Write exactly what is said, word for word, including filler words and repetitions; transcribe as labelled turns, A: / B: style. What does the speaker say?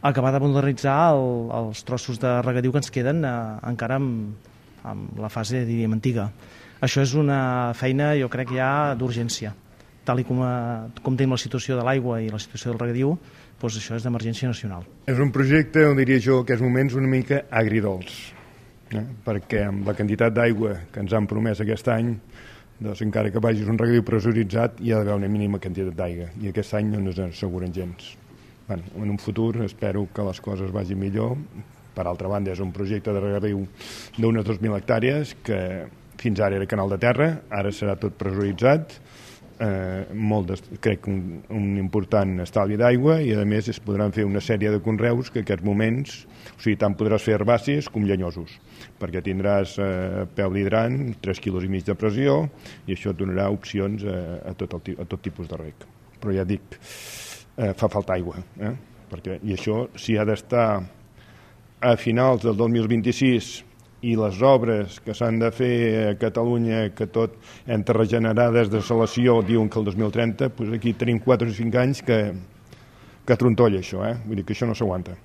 A: acabar de modernitzar el, els trossos de regadiu que ens queden eh, encara amb, amb la fase, diríem, antiga. Això és una feina, jo crec, ja d'urgència. Tal i com, eh, com tenim la situació de l'aigua i la situació del regadiu, doncs això és d'emergència nacional.
B: És un projecte, on diria jo, que en aquests moments una mica agridolç, eh? perquè amb la quantitat d'aigua que ens han promès aquest any, doncs encara que vagis un regadiu pressuritzat hi ha d'haver una mínima quantitat d'aigua, i aquest any no ens asseguren gens. Bueno, en un futur espero que les coses vagin millor. Per altra banda, és un projecte de regadiu d'unes dos mil hectàrees que fins ara era canal de terra, ara serà tot pressuritzat, eh, molt de, crec un, un important estalvi d'aigua, i a més es podran fer una sèrie de conreus que en aquests moments, o sigui, tant podràs fer herbàcies com llenyosos, perquè tindràs eh, peu d'hidrant, tres quilos i mig de pressió, i això et donarà opcions eh, a, tot el, a tot tipus de reg. Però ja dic, eh, fa falta aigua, eh? perquè, i això si ha d'estar a finals del dos mil vint-i-sis i les obres que s'han de fer a Catalunya, que tot entre regenerades de salació diuen que el dos mil trenta, doncs aquí tenim quatre o cinc anys que, que trontolla això, eh? Vull dir que això no s'aguanta.